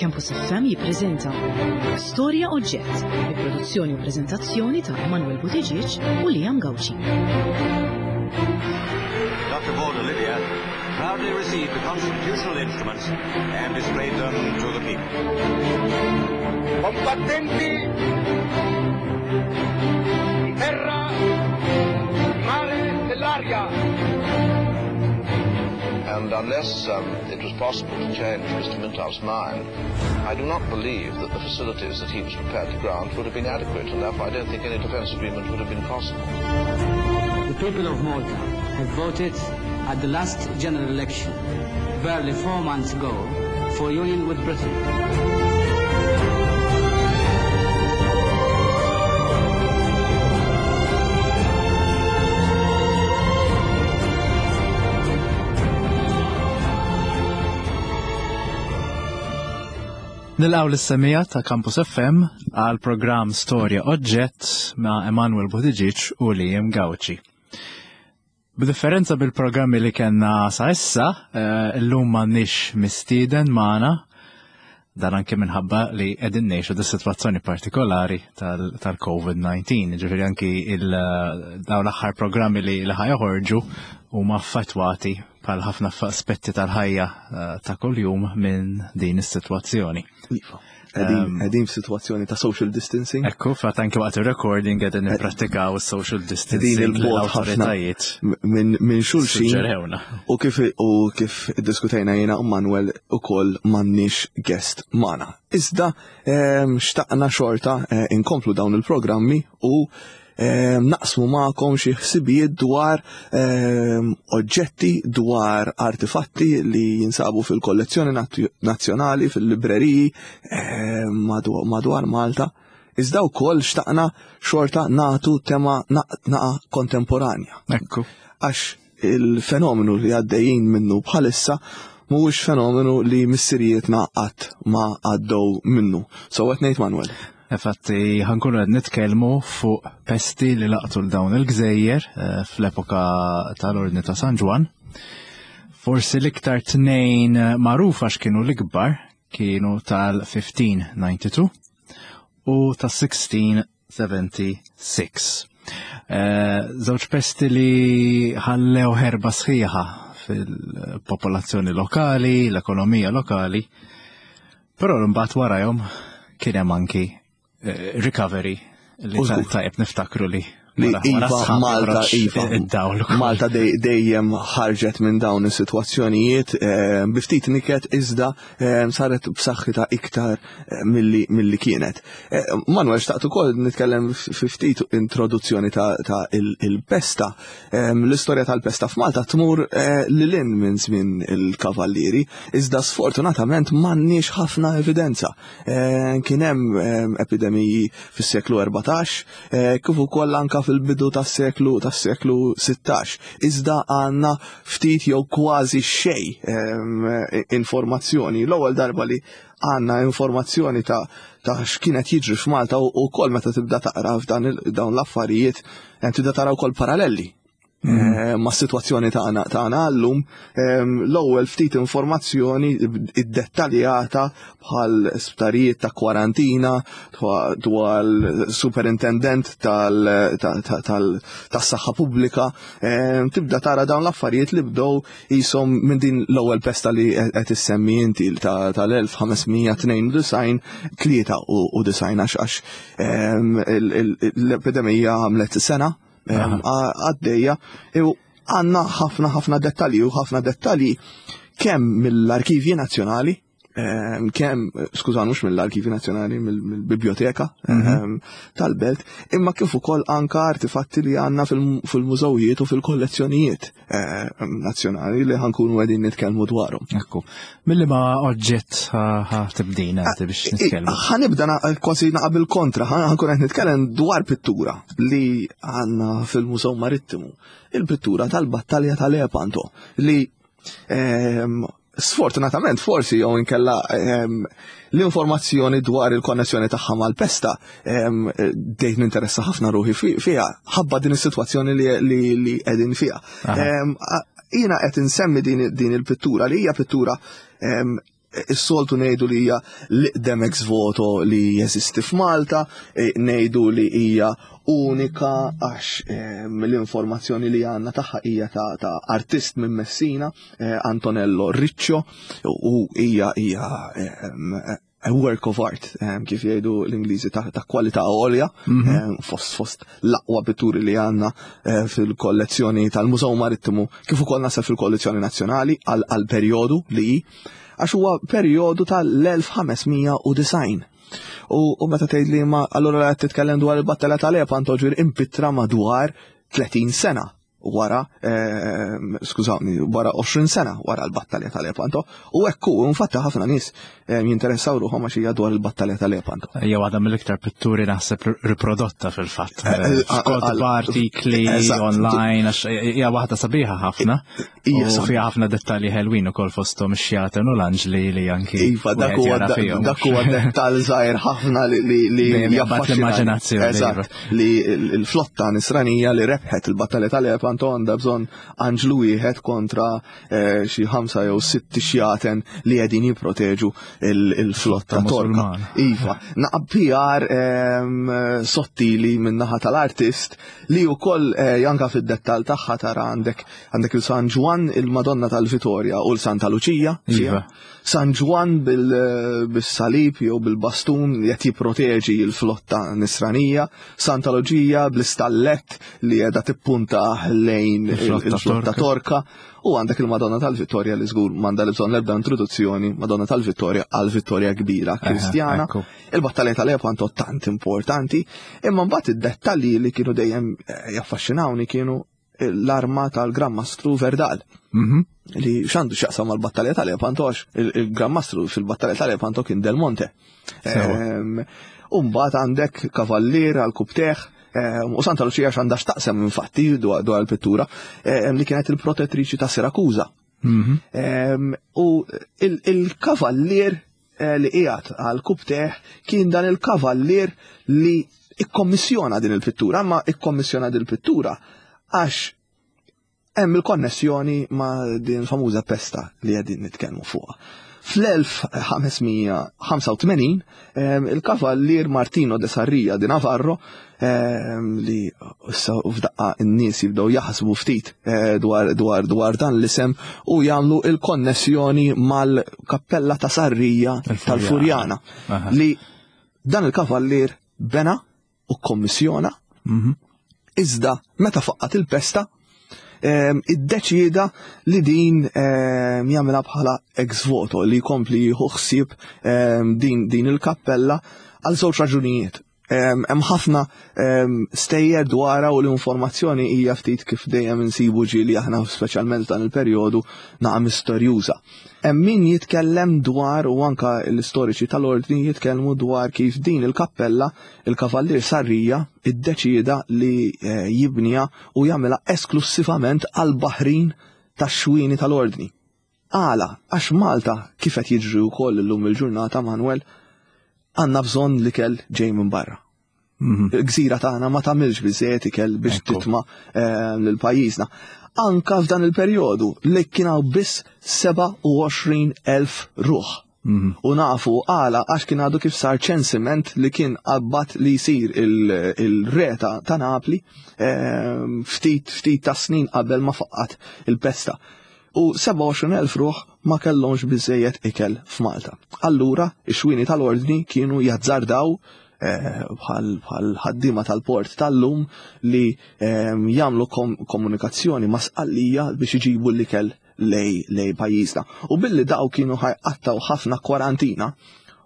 Campus FM jippreżenta Storja Oġġett bi produzzjoni u preżentazzjoni ta' Emanuel Buttigieg u Liam Gauci. Dr. Paul Olivia proudly received the constitutional instruments and displayed them to the people. Combattenti di terra, di mare, dell'aria. And unless um, it was possible to change Mr. Mintoff's mind, I do not believe that the facilities that he was prepared to grant would have been adequate, and therefore I don't think any defence agreement would have been possible. The people of Malta have voted at the last general election, barely four months ago, for union with Britain. Nilqaw l-semija ta' Campus FM għal programm Storja Oġġett ma' Emanuel Buttigieg u Liam Gauci. B'differenza bil-programmi li kellna sa issa, eh, illum m'għandniex mistieden magħna, dan anke minħabba li qegħdin ngħixu di sitwazzjoni partikolari tal-COVID-19. Ġifieri anki dawn l-aħħar programmi li li ħajoħorġu huma affettwati bħal ħafna aspetti tal-ħajja eh, ta' kuljum minn din is-sitwazzjoni. Iva. Qegħdin f'sitwazzjoni ta' social distancing. Ekku, fatt anke waqt ir-recording qegħdin nipprattikaw social distancing il bot ħafna minn xulxin. U kif u kif diskutejna jiena u Manuel ukoll m'għandniex guest magħna. Iżda xtaqna xorta eh, inkomplu dawn il-programmi u Ehm, naqsmu magħkom xi ħsibijiet dwar ehm, oġġetti, dwar artifatti li jinsabu fil-kollezzjoni nazzjonali, fil-libreriji ehm, madwar Malta. Iżda wkoll xtaqna xorta nagħtu tema naqa kontemporanja. Ekku. Għax il-fenomenu li għaddejjin minnu bħalissa mhuwiex fenomenu li missirijietna qatt ma għaddew minnu. So qed ngħid Manuel. Infatti ħankunu qed nitkellmu fuq pesti li laqtu l dawn il-gżejjer eh, fl-epoka tal-Ordni ta' San Ġwan. Forsi l-iktar tnejn magħrufa x'kienu l-ikbar kienu tal-1592 u tas-16 76. Eh, żewġ pesti li ħallew ħerba sħiħa fil-popolazzjoni lokali, l-ekonomija lokali, però mbagħad warajhom kien hemm anki eh, recovery li tajjeb niftakru li li Iva Malta Iva Malta dejjem ħarġet minn dawn is-sitwazzjonijiet eh, bi ftit niket iżda eh, saret b'saħħitha iktar eh, milli kienet. Manuel xtaqt ukoll nitkellem fi ftit introduzzjoni ta' il-pesta. L-istorja tal-pesta f'Malta tmur lil hinn minn żmien il-Kavallieri, iżda sfortunatament m'għandniex ħafna evidenza. Kien hemm epidemiji fis-seklu 14, eh, kif ukoll anka fil-bidu tas-seklu tas-seklu 16. Iżda għandna ftit jew kważi xej ehm, informazzjoni. L-ewwel darba li għandna informazzjoni ta' ta' x'kienet jiġri f'Malta u wkoll meta tibda taqra f'dan dawn l-affarijiet eh, tibda tara wkoll paralleli Mhm. Eh, ma' situazzjoni tagħna tagħna llum ehm, l-ewwel ftit informazzjoni iddettaljata bħal sptarijiet ta' kwarantina dwar superintendent tas-saħħa pubblika ehm, tibda tara dawn l-affarijiet li bdew jisom minn din l-ewwel pesta li qed issemmi inti tal-1592 93 għax ehm, l-epidemija għamlet sena għaddejja u għanna ħafna ħafna dettalji u ħafna dettalji kemm mill-arkivji nazzjonali, kemm, skuża mhux mill-arkivji nazzjonali, mill-biblioteka mhm. tal-belt, imma kif ukoll anka artifatti li għandna fil-mużewijiet u fil-kollezzjonijiet eh, nazzjonali li ħankunu qegħdin nitkellmu dwarhom. Ekku. Milli ma oġġett ħa tibdina inti biex nitkellmu. Ħanibda kważi naqabel kontra, ħankun qed nitkellem dwar pittura li għandna fil-Mużew Marittimu. Il-pittura tal-battalja tal-Epanto li ehm, sfortunatament forsi jew inkella ehm, l-informazzjoni dwar il-konnessjoni tagħha mal-pesta ehm, dejt ninteressa ħafna ruħi fiha ħabba din is-sitwazzjoni li qegħdin fiha. Jiena qed insemmi din il-pittura li hija pittura. Is-soltu ngħidu li hija l-iqdem ex voto li jeżisti f'Malta, e, ngħidu li hija unika għax ehm, l-informazzjoni li għandna tagħha hija ta' artist minn Messina, eh, Antonello Riccio, u hija hija ehm, a work of art, ehm, kif jgħidu l-Ingliżi ta' kwalità għolja, mhm. fost fost l-aqwa pitturi li għandna eh, fil-kollezzjoni tal-Mużew Marittimu, kif ukoll nasab fil-kollezzjoni nazzjonali għal perjodu li għax huwa perjodu tal-1590. U meta tgħid li ma allura qed titkellem dwar il-battala tal-Lepanto ġir impittra madwar 30 sena wara, ehm, skużawni, wara 20 sena wara l-battalja tal-Lepanto. U hekk hu, infatti ħafna nies ehm, jinteressaw ruħhom għax hija dwar il-battalja tal-Lepanto. Hija waħda mill-iktar pitturi naħseb riprodotta fil-fatt. Eh, eh, F'kotba artikli online għax hija waħda sabiħa ħafna. U fiha ħafna dettalji ħelwin ukoll fosthom ix-xjaten u l-anġli li anki. Iva, dak huwa dak huwa dettall żgħir ħafna li li jabbat l-immaġinazzjoni. Eżatt, iva. li l-flotta nisranija li rebħet il-battalja tal-Lepanto għandha bżonn anġlu wieħed kontra eh, xi ħamsa jew sitt xjaten li qegħdin jipproteġu il-flotta torka. Iva, naqab PR ehm, sottili min-naħa tal-artist li wkoll eh, janka fid-dettall tagħha tara għandek Għandek il-San Ġwann, il-Madonna tal-Vitorja u l-Santa Luċija. Iva. San Ġwann bil-salib jew bil-bastun li qed jipproteġi l-flotta nisranija, Santa Luċija bl-istallett li qiegħda tippunta lejn il-flotta Torka u għandek il-Madonna tal-Vittorja li żgur m'għandha li bżonn l-ebda introduzzjoni, Madonna tal-Vittorja għal Vittorja kbira Kristjana. Il-battalja tal-Lepanto tant importanti, imma mbagħad id-dettalji li kienu dejjem eh, jaffaxxinawni kienu l-arma tal-Gran Mastru Verdal. Mhm. Li xandu xaqsam mal-battalja tal-Lepanto għax il-Gran Mastru fil-battalja tal-Lepanto kien Del Monte. Ehm, Umbat għandek kavallier għal kubteħ, ehm, u Santa Lucia x'għandha x'taqsem infatti dwar il-pittura ehm, li kienet il-protettriċi ta' Sirakuza. Mhm. U il-kavallier eh, li qiegħed għal kubteħ kien dan il-kavallier li ikkommissjona din il-pittura, ma ikkommissjona din il-pittura għax hemm il-konnessjoni ma' din famuża pesta li qegħdin nitkellmu fuqha. Fl-1585 il-kavallier Martino de Sarria di Navarro li issa f'daqqa n-nies jibdew jaħsbu ftit eh, dwar dwar dwar dan l-isem u jagħmlu il-konnessjoni mal-kappella ta' Sarrija tal-Furjana li dan il-kavallier bena u kommissjona mhm. iżda meta faqqat il-pesta ehm, iddeċieda li din ehm, jagħmilha bħala ex voto li jkompli jieħu ħsieb ehm, din din il-kappella għal żewġ raġunijiet. Hemm ħafna stejjer dwarha u l-informazzjoni hija ftit kif dejjem insibu ġieli aħna speċjalment dan il-perjodu naqa' misterjuża. Hemm min jitkellem dwar u anka l-istoriċi tal-ordni jitkellmu dwar kif din il-kappella il-Kavallier Sarrija iddeċieda li eh, jibniha u jagħmilha esklussivament għall-baħrin tax-xwieni tal-ordni. Għala? Għax Malta, kif qed jiġri wkoll illum il-ġurnata, Manuel, għandna bżonn l-ikel ġej minn barra. Mhm. Il-gżira tagħna ma tagħmilx biżejjed ikel biex titma' eh, lil pajjiżna. Anka f'dan il-perjodu li kien hawn biss 27,000 ruħ. Mhm. U nafu għala għax kien għadu kif sar ċensiment li kien qabbat li jsir il-re ta' Napli eh, ftit ftit ta' snin qabel ma faqqat il-pesta. U 27,000 ruħ ma kellhomx biżejjed ikel f'Malta. Allura, ix-xwieni tal-Ordni kienu jazzardaw eh, bħal ħaddiema tal-port tal-lum li eh, jagħmlu komunikazzjoni ma' Sqallija biex iġibu l-ikel lej lej pajjiżna. U billi daw kienu ħajqattaw ħafna kwarantina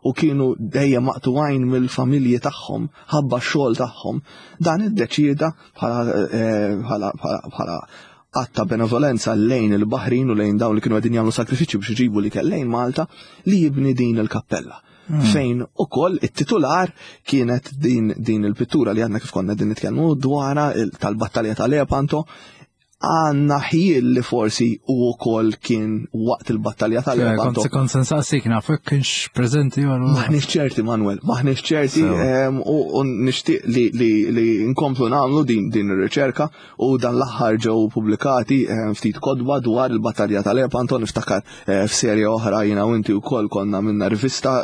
u kienu dejjem maqtugħin mill-familji tagħhom ħabba x-xogħol tagħhom, dan iddeċieda bħala eh, bħala att ta' benevolenza lejn il-baħrin u lejn dawn li kienu qegħdin jagħmlu sakrifiċċju biex iġibu l-ikel lejn Malta li jibni din il-kappella. Hmm. Fejn ukoll it-titular kienet din, din il-pittura li għandna kif konna din nitkellmu dwarha tal-battalja ta' Lepanto. Għandna ħjiel li forsi u wkoll kien waqt il-battalja tal-Lepanto. Kont kont se nsaqsik naf jekk kienx preżenti jew Maħniex ċerti Manuel, maħniex ċerti u nixtieq li, li, li nkomplu nagħmlu din din ir-riċerka u dan l-aħħar ġew pubblikati ftit kodba dwar il-battalja tal-Lepanto niftakar eh, f'serje oħra jiena u inti wkoll konna minna rivista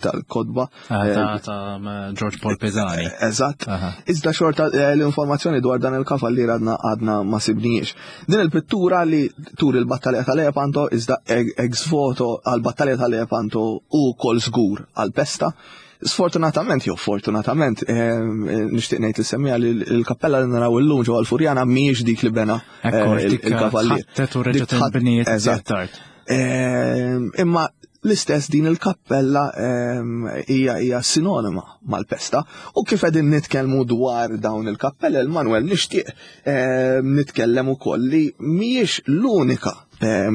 tal-kodba. Ah, ta' ta' George Paul Pisani. Eh, eżatt. Iżda xorta eh, l-informazzjoni dwar dan il-kavallier għadna għadna ma sibniex. Din il-pittura li turi l-battalja ta' Lepanto iżda ex voto għal-battalja ta' Lepanto u kol żgur għal-pesta. Sfortunatament, jew fortunatament, eh, nixtieq ngħid li semmija li l-kappella li naraw illum ġewwa l-Furjana mhijiex dik li bena il-kavallier. Eżatt. Imma l-istess din il-kappella hija hija sinonima mal-pesta u kif qegħdin nitkellmu dwar dawn il-kappella il-Manuel nixtieq nitkellem ukoll li mhijiex l-unika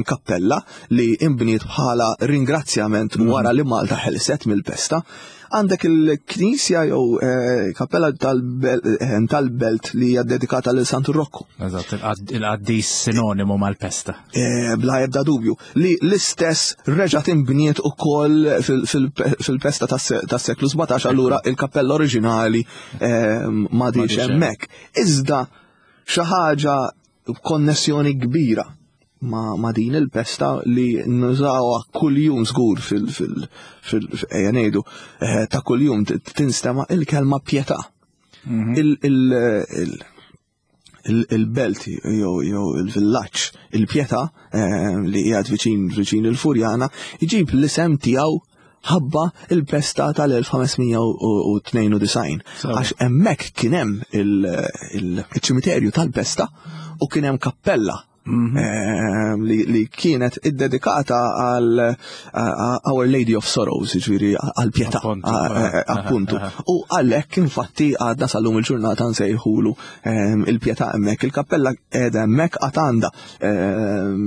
kappella li imbniet bħala ringrazzjament mhm. wara li Malta ħelset mill-pesta. Għandek il-knisja jew eh, kappella eh, tal-belt li hija dedikata lil Santu Rokku. Eżatt, il-qaddis sinonimu mal-pesta. Eh, bla ebda dubju li l-istess reġgħet inbniet ukoll fil-pesta tas-seklu 17 allura il-kappella oriġinali m'għadix hemmhekk. Iżda xi ħaġa konnessjoni kbira ma, ma din il-pesta li nużawha kuljum żgur fil fil ejja ngħidu eh, ta' kuljum tinstema' il-kelma pjetà. Mhm. Il-belt jew il-villaġġ il-pjetà eh, li qiegħed viċin viċin il-Furjana jġib l-isem tiegħu ħabba il-pesta tal-1592. Għax hemmhekk kien hemm il-ċimiterju tal-pesta u kien hemm kappella mhm. eh, li kienet iddedikata għal Our Lady of Sorrows, ġviri għal pietà, appuntu. U għalhekk infatti għadna sal-lum il-ġurnata nsejħulu ehm, il-pietà hemmhekk. Il-kappella qiegħda hemmhekk għad għandha ehm,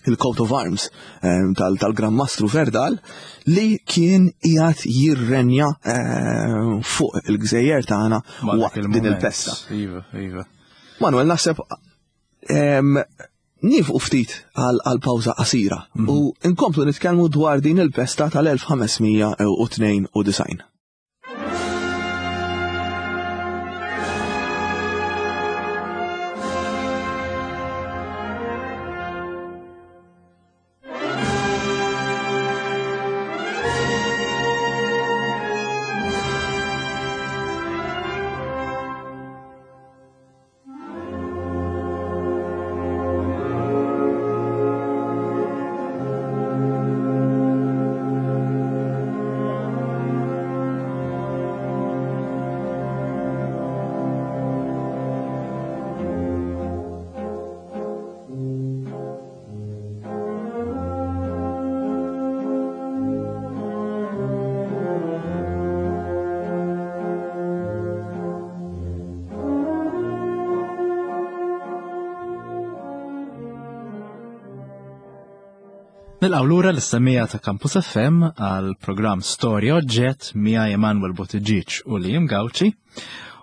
il-coat of arms ehm, tal-Gran Mastru Verdal li kien qiegħed jirrenja fuq il-gżejjer tagħna waqt din il-pesta. Iva, iva. Manuel, naħseb nifqu ftit għal pawża qasira mhm. u nkomplu nitkellmu dwar din il-pesta tal-1592. Nilqaw lura l-istemmija ta' Campus FM għal programm Storja Oġġett miegħi Emanuel Buttigieg u Liam Gauci.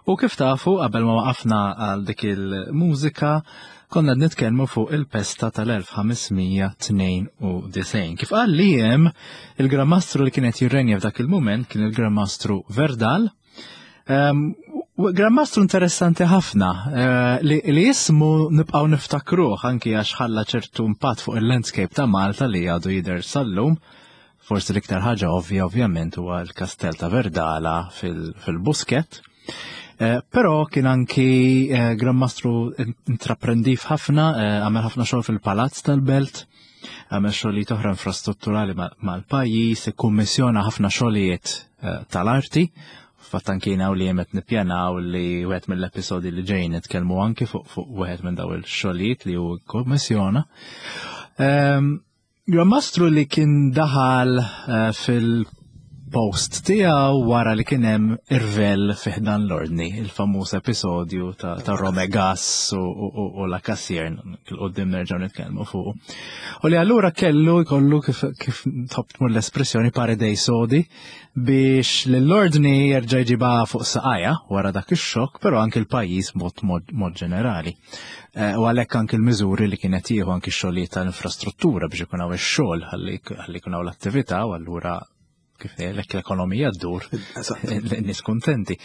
U kif tafu, qabel ma waqafna għal dik il-mużika, konna nitkellmu fuq il-pesta tal-1592. Kif qal li hemm il-Gran Mastru li kienet jirrenja f'dak il-mument kien il-Gran Mastru Verdal. Ehm, Gran Mastru interessanti ħafna eh, li, li jismu nibqgħu niftakruh anki għax ħalla ċertu impatt fuq il-landscape ta' Malta li għadu jidher sal-lum. Forsi l-iktar ħaġa ovvja ovvjament huwa l-Kastell ta' Verdala fil-Busket. Eh, però kien anki eh, Gran Mastru intraprendiv ħafna, eh, għamel ħafna xogħol fil-Palazz tal-Belt, għamel xogħlijiet oħra infrastrutturali mal-pajjiż, ikkummissjona ħafna xogħlijiet tal-arti. Fatt anki jiena u li jemet nippjanaw li wieħed mill-episodi li ġejjin nitkellmu anki fuq fuq wieħed minn daw il-xogħlijiet li hu kkummissjona. Ehm, Gran Mastru li kien daħal eh, fil il-post tiegħu wara li kien hemm irvell fi ħdan l-ordni, il-famuż episodju ta', ta Romegas u, u, u, u la Cassier, il-qoddim nerġgħu nitkellmu fuq. U li allura kellu jkollu kif, kif tħobb tmur l-espressjoni paredej sodi biex l-ordni jerġa' jġibha fuq saqajja wara dak ix-xokk, però anke l-pajjiż mod mod ġenerali. Eh, u għalhekk anke l-miżuri li kienet jieħu anke x-xogħlijiet tal-infrastruttura biex ikun hawn ix-xogħol ħalli jkun hawn l-attività u allura kif ngħidlek l-ekonomija ddur, n-nies kuntenti.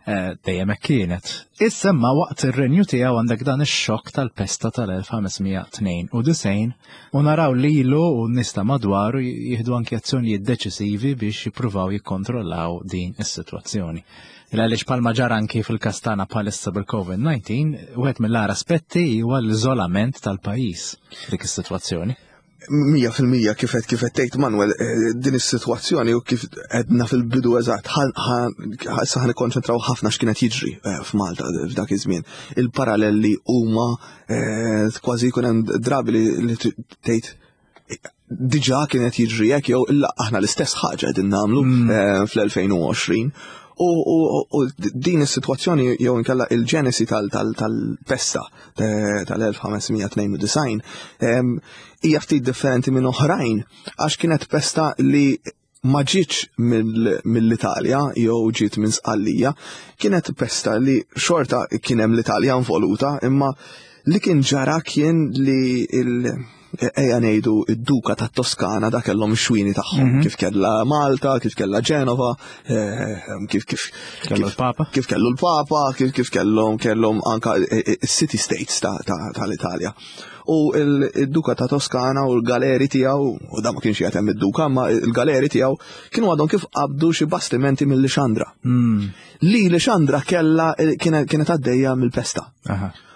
Eh, dejjem hekk kienet. Issa ma waqt ir-renju tiegħu għandek dan ix-xokk tal-pesta tal-1592 U naraw lilu u n-nies ta' madwaru jieħdu anki azzjonijiet deċisivi biex jippruvaw jikkontrollaw din is-sitwazzjoni. Għaliex palma ġara anki fil-każ tagħna bħalissa bil-COVID-19, wieħed mill-agħar aspetti huwa l-iżolament tal-pajjiż dik is-sitwazzjoni. 100% kif qed kif qed tgħid Manuel, eh, din is-sitwazzjoni u kif għedna fil-bidu eżatt, issa ħa nikkonċentraw ħafna x'kienet jiġri eh, f'Malta f'dak iż-żmien. Il-parallelli huma Eh, kważi jkun hemm drabi li tgħid diġà kienet jiġri hekk jew illa aħna l-istess ħaġa qegħdin nagħmlu mm. eh, fl-2020. U din is-sitwazzjoni jew inkella il-ġenesi tal-pesta tal-1592 hija ftit differenti minn oħrajn għax kienet pesta li ma ġietx mill-Italja jew ġiet minn Sqallija, kienet pesta li xorta kien hemm l-Italja involuta, imma li kien ġara kien li il ejja ngħidu id-duka tat Toskana da kellhom xwini tagħhom mhm. kif kellha Malta, kif kellha Ġenova, eh, kif kif kellu l-Papa, kif kellu l-Papa, kif kif kellhom kellhom anka eh, eh, city states tal-Italja. U il-duka ta' Toskana u l-galeri tiegħu, u da ma kienx jgħatem hemm id-duka, ma l-galeri tiegħu kienu għadhom kif qabdu xi bastimenti mill-Lixandra. Hmm. Li Lixandra kella kienet għaddejja mill-pesta.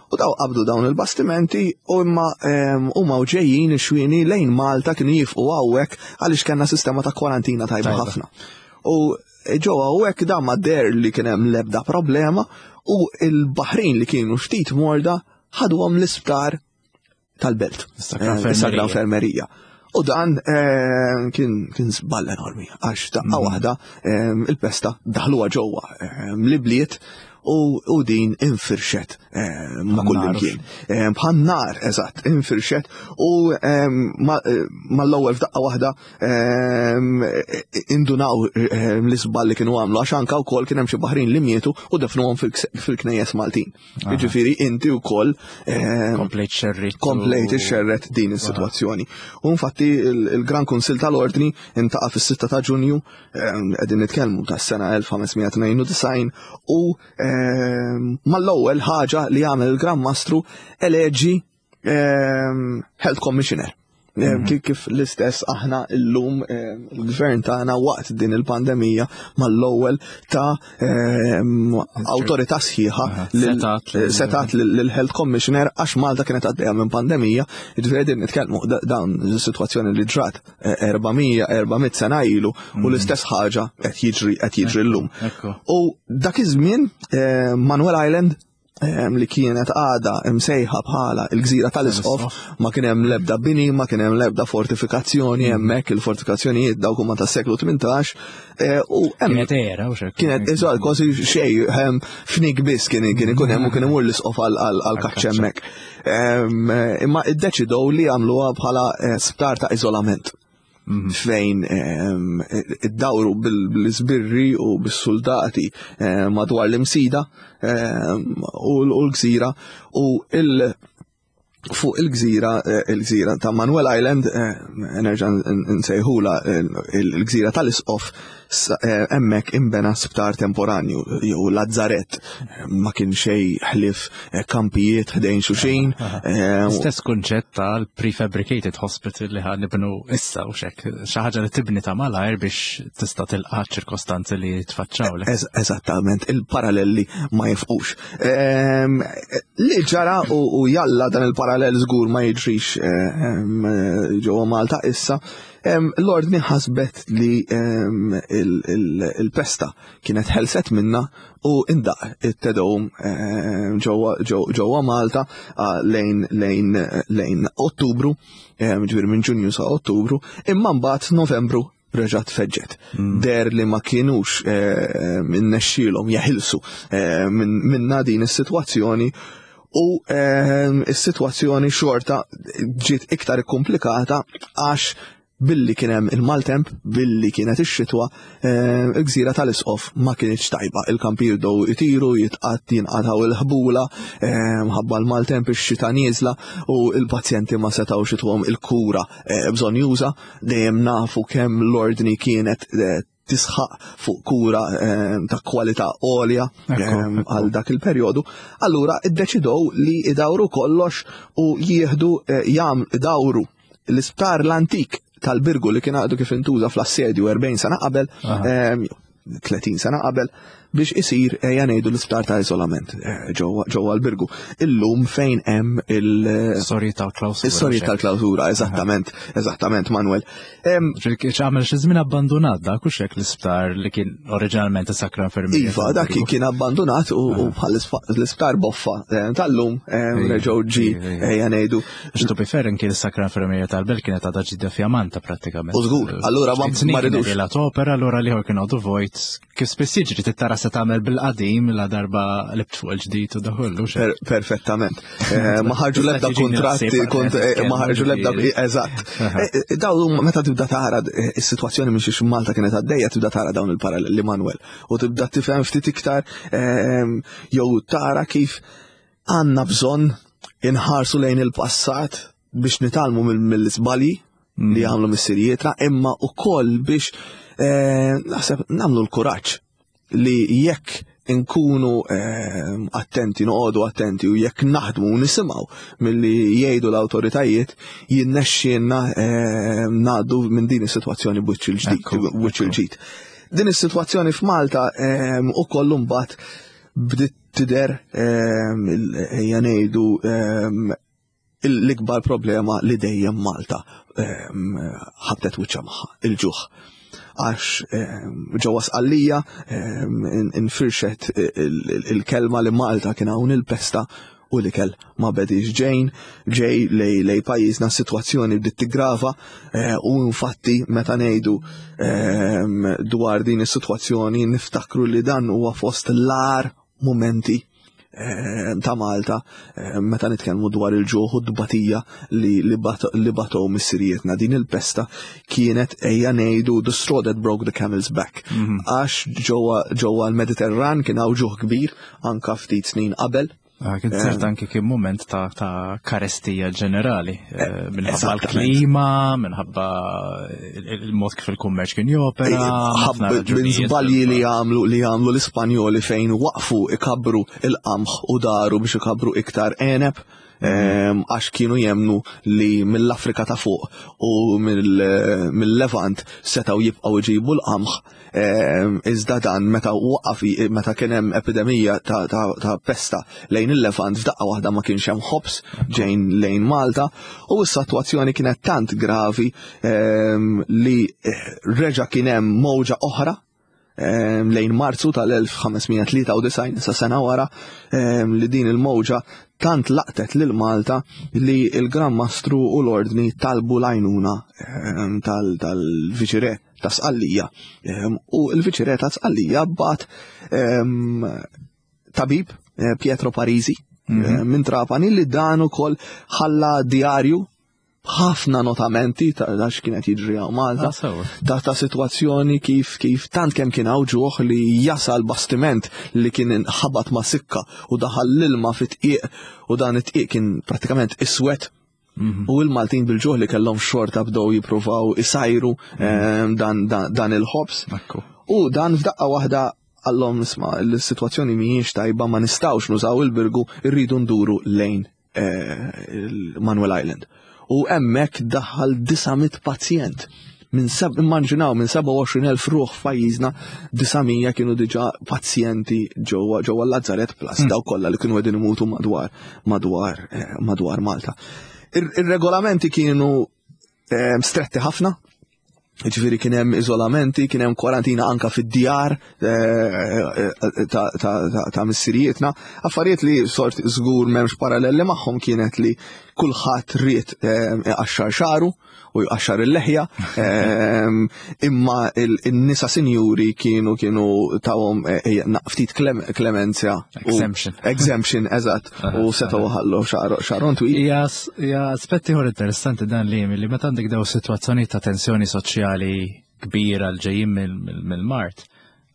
U daw qabdu dawn il-bastimenti u imma ehm, huma u ġejjin ix-xwieni lejn Malta kienu jifqu hawnhekk għaliex kellna sistema ta' kwarantina tajba ħafna. U ġew hawnhekk dan ma der li kien hemm l-ebda problema u l-baħrin li kienu ftit morda ħaduhom l-isptar tal-belt. Is-Sagra eh, Infermerija. U dan eh, kien kien żball enormi għax daqqa mm. waħda eh, il-pesta daħluha ġewwa l-ibliet u din infirxet ma' kull imkien. Bħal nar, eżatt, infirxet u mal-ewwel f'daqqa waħda indunaw l-iżball li kienu għamlu għax anka wkoll kien hemm xi baħrin li mietu u defnuhom fil-knejjes Maltin. Ah. Jiġifieri inti wkoll eh, komplejt xerrit. Komplejt xerret din is-sitwazzjoni. U infatti il-Gran Kunsil tal-Ordni intaqa' fis-6 ta' Ġunju eh, qegħdin nitkellmu tas-sena 1592 u eh, mal-ewwel ħaġa li għamel il-Gran Mastru eleġi Health Commissioner. Mhm. Kif l-istess aħna llum il-gvern tagħna waqt din il-pandemija mal-ewwel ta' awtorità sħiħa setat lill-Health Commissioner għax Malta kienet għaddejja minn pandemija, jiġifieri din nitkellmu dawn is-sitwazzjoni li ġrat 400 400 sena ilu u mhm. l-istess ħaġa qed jiġri qed jiġri llum. U dak iż-żmien Manuel Island li kienet għada imsejħa bħala il-gżira tal-isqof, ma kien hemm l-ebda bini, ma kien hemm l-ebda fortifikazzjoni mm. hemmhekk, il-fortifikazzjonijiet dawk huma tas-seklu 18, eh, u hemm kienet era u xejn. Kienet eżatt kważi xejn fnik biss kien kien ikun hemm u kien imur l-isqof għall-kaċċa hemmhekk. Imma iddeċidew li jagħmluha bħala eh, sptar ta' iżolament. Mhm. fejn ehm, id-dawru bil-sbirri u bis-soldati ehm, madwar l-imsida ehm, u l-gżira u il- fuq il-gżira eh, il-gżira ta' Manuel Island eh, nerġa' nsejħula eh, il-gżira tal-Isqof hemmhekk imbena sptar temporanju jew lazzaret ma kien xej ħlif eh, kampijiet ħdejn xuxin. Eh, Stess kunċett tal-prefabricated hospital li ħan nibnu issa u xek, xi ħaġa li tibni ta' malajr biex tista' tilqa' ċirkostanzi li tfaċċaw. Eżattament, il-parallelli ma jifqux. Ehm, li ġara u jalla dan il-parallel żgur ma jiġrix ehm, ġewwa Malta issa, ehm, l-ordni ħasbet li il-pesta kienet ħelset minna u indaq it-tedum eh, ġewwa Malta ah, lejn lejn lejn Ottubru, eh, ġifieri minn Ġunju sa Ottubru, imma mbagħad Novembru reġgħet feġġet. Deher li ma kienux innexxielhom jeħilsu minna din is-sitwazzjoni u is-sitwazzjoni xorta ġiet iktar ikkumplikata għax billi kien hemm il-maltemp, billi kienet ix-xitwa, il-gżira tal-Isqof ma kienitx tajba. Il-kampijiet bdew itiru, jitqatt jinqatgħu il-ħbula, ħabba l-maltemp ix-xita nieżla u l-pazjenti ma setgħux ituhom il-kura bżonjuża. Dejjem nafu kemm l-ordni kienet tisħaq fuq kura ta' kwalità għolja għal dak il-perjodu. Allura iddeċidew li idawru kollox u jieħdu jam idawru l-isptar l-antik tal-Birgu li kien għadu kif intuża fl-assedju 40 sena qabel, 30 sena qabel, biex isir ejja ngħidu l-isptar ta' iżolament ġewwa l-Birgu. Illum fejn hemm il- Storji tal-klawsura. Is-storji tal-klawsura, eżattament, eżattament, Manuel. Għamel xi żmien abbandunat dak u xek l-isptar li kien oriġinalment is-Sacra Infermeria. Iva, dak kien abbandunat u bħal l-isptar boffa tal-lum reġgħu ġi ejja ngħidu. X'tu bi ferren kien is-Sacra Infermeria tal-Belt kienet għadha ġdida fjamanta prattikament. U żgur, allura ma ridux. La opera, allura liħor kien għadu vojt. Kif spiss jiġri tittara se tagħmel bil-qadim la darba libt fuq il-ġdid u daħollu. Perfettament. Ma ħarġu l-ebda kontratti, ma ħarġu l-ebda, eżatt. Daw meta tibda tara is-sitwazzjoni minn xiex Malta kienet għaddejja tibda tara dawn il-paralleli Manuel u tibda tifhem ftit iktar jew tara kif għandna bżonn inħarsu lejn il-passat biex nitgħallmu mill-iżbalji li għamlu missirijietna, imma wkoll biex naħseb nagħmlu l-kuraġġ li jekk inkunu attenti, noqogħdu attenti u jekk naħdmu u nisimgħu milli jgħidu l-awtoritajiet, jinnexxielna ngħaddu minn din is-sitwazzjoni b'wiċċ il-ġdid, b'wiċċ il-ġid. Din is-sitwazzjoni f'Malta ukoll imbagħad bdiet tidher ejja ngħidu l-ikbar problema li dejjem Malta ħabtet wiċċha magħha, il-ġuħ. Għax ġewwa Sqallija infirxet il-kelma li Malta kien hawn il-pesta u l-ikel ma bedix ġejn, ġej lej pajjiżna s-sitwazzjoni bdiet tiggrava u infatti meta ngħidu dwar din is-sitwazzjoni niftakru li dan huwa fost l-agħar mumenti ta' Malta meta nitkellmu dwar il-ġuħ u d-tbatija li batow missirijietna. Din il-pesta kienet ejja ngħidu the straw that broke the camel's back. Għax ġewwa l-Mediterran kien hawn ġuħ kbir anka ftit snin qabel. Kien ċert anki kien moment ta' karestija ġenerali, minħabba l-klima, minħabba il-mod kif il-kummerċ kien jopera, ħafna Minn raġunijiet. żbalji li għamlu li għamlu l-Ispanjoli fejn waqfu ikabru il-qamħ u daru biex ikabru iktar għeneb, għax kienu jemnu li mill-Afrika ta' fuq u mill-Levant setgħu jibqgħu jġibu l-qamħ. Iżda dan meta waqaf meta kien hemm epidemija ta' pesta lejn il-Levant f'daqqa waħda ma kienx hemm ħobż ġejn lejn Malta u s-sitwazzjoni kienet tant gravi li reġa' kien hemm mowġa oħra lejn Marzu tal-1593 sa sena wara li din il-mowġa tant laqtet lil Malta li il-Gran Mastru u l-Ordni talbu l-għajnuna tal-Viċirè ta' Sqallija. U l-Viċirè ta' Sqallija bat tabib Pietro Parisi minn Trapani li dan ukoll ħalla djarju ħafna notamenti ta' x'kienet jiġri hawn Malta, ta' sitwazzjoni kif tant kemm kien hawn ġuħ li jasal bastiment li kien inħabat ma' sikka u daħal l-ilma fit-tqiq u dan it-tqiq kien prattikament iswed. U l-Maltin bil-ġuħ li kellhom xorta bdew jippruvaw isajru dan il-ħobż. U dan f'daqqa waħda għallhom isma' l-sitwazzjoni mhijiex tajba, ma nistgħux nużaw il-Birgu, irridu nduru lejn il-Manuel Island. U hemmhekk daħal 900 pazjent. Immaġinaw minn 27,000 ruħ f'pajjiżna, 900 kienu diġà pazjenti ġewwa l-Lazzaret plus daw kollha li kienu qegħdin imutu madwar Malta. Ir-regolamenti kienu stretti ħafna, ġifieri kien hemm iżolamenti, kien hemm kwarantina anka fid-djar ta' missirijietna. Affarijiet li sort żgur m'hemmx paralleli magħhom kienet li kulħadd ried iqaxxar xaru u jqaxxar il-leħja, ehm, imma il-nisa sinjuri kienu kienu tawhom eh, eh, ftit klemenzja. Exemption. Exemption, eżatt, u setgħu ħallu xaron twil. Hija aspetti ieħor interessanti dan li li meta għandek daw sitwazzjoni ta' tensjoni soċjali kbira l ġejjin mill-mart,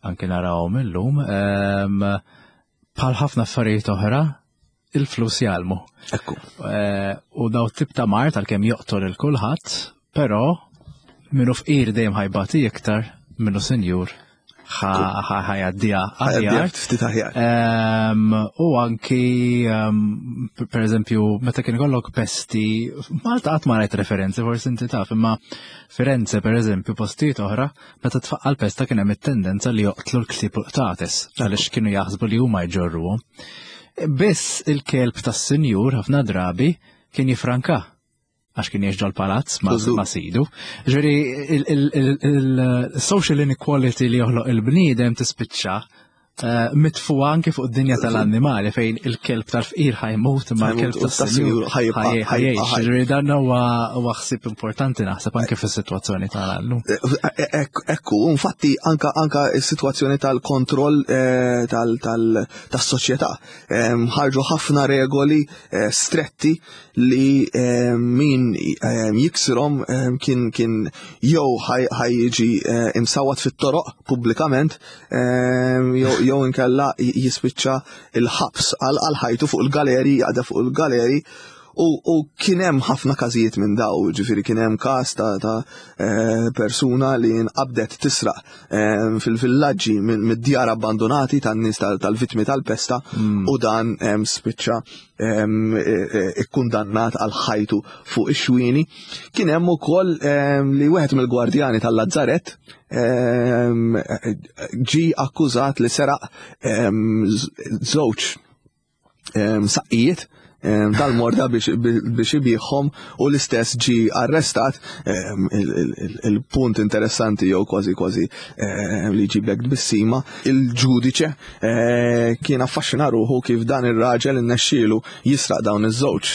anke narawhom illum, ehm, bħal ħafna affarijiet oħra, il-flus jgħallmu. Ekku. Eh, u daw tip ta' mart għalkemm joqtol il kulħadd, però minnu fqir dejjem ħajbati iktar minnu senjur ħajaddija aħjar. Ftit aħjar. Ehm, u anki, ehm, per eżempju, meta kien ikollok pesti, Malta qatt ma rajt referenzi, forsi inti taf, imma Firenze, per eżempju, postijiet oħra, Meta tfaqqa l-pesta kien hemm it-tendenza li joqtlu l-ktieb u l-qtates għaliex kienu jaħsbu li huma jġorruhom. Biss il-kelb tas-sinjur ħafna drabi kien jifranka għax kien jiex ġol-palazz ma' sidu. Ġifieri il-social inequality li joħloq il-bniedem tispiċċa Eh, mitfu anki fuq id-dinja tal-annimali fejn il-kelb tal-fqir ħajmut imma l-kelb tas-sinjur ħajjgħix. Ġifieri dan huwa ħsieb importanti naħseb anke fis-sitwazzjoni tal-allum. Eh, eh, ekku, infatti anka anka s-sitwazzjoni tal-kontroll tas-soċjetà. Ħarġu ħafna regoli stretti li min jiksirhom kien kien jew ħajjiġi imsawat fit-toroq pubblikament jew inkella jispiċċa il-ħabs għal ħajtu fuq il-galeri, jaqda fuq il-galeri u kien hemm ħafna każijiet minn daw, ġifieri kien hemm każ ta', ta eh, persuna li nqabdet tisraq eh, fil-villaġġi mid-djar abbandonati tan-nies tal-vittmi tal-pesta mm. u dan spiċċa eh, ikkundannat għal ħajtu fuq ix-xwieni. Kien hemm ukoll li wieħed mill-gwardjani tal-Lazzaret Ehm, ġi akkużat li seraq ehm, żewġ ehm, saqqijiet tal-morda biex ibiħħom u l-istess ġi arrestat il-punt interessanti jew kważi kważi li ġiblek tbissima il-ġudiċe eh, kien affaxxina ruħu kif dan ir-raġel innexxielu jisraq dawn iż-żewġ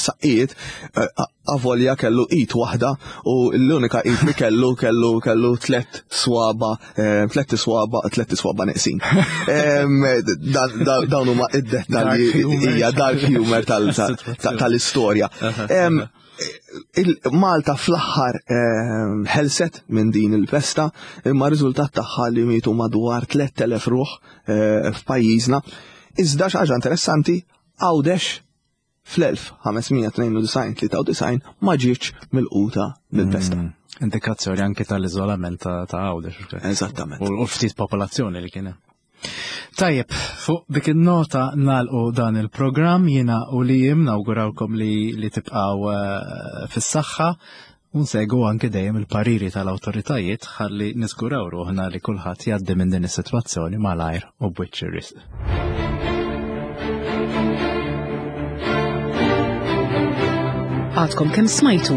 saqqijiet eh, avolja kellu id waħda u l-unika id li kellu kellu kellu tlet swaba eh, tlet swaba tlet swaba neqsin. Dawn huma id-dettalji hija dark humor tal-istorja. Malta fl-aħħar ħelset minn din il-pesta imma riżultat tagħha li mietu madwar 3000 ruħ eh, f'pajjiżna. Iżda xi ħaġa interessanti Għawdex fl-1592-93 ma ġietx milquta mill-pesta. Mm, indikazzjoni anke tal-iżolament ta' Għawdex. Eżattament. U ftit popolazzjoni li kien hemm. Tajjeb, fuq dik il-nota nalqu dan il-programm jiena u li jim nawgurawkom li, li tibqaw eh, fis-saħħa u nsegwu anke dejjem il-pariri tal-awtoritajiet ħalli niżguraw ruħna li kulħadd jgħaddi minn din is-sitwazzjoni malajr u b'wiċċ ir-risq. Għadkom kemm smajtu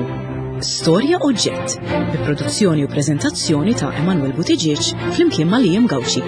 Storja Oġġett bi produzzjoni u preżentazzjoni ta' Emanuel Buttigieg flimkien ma' Liam Gauci.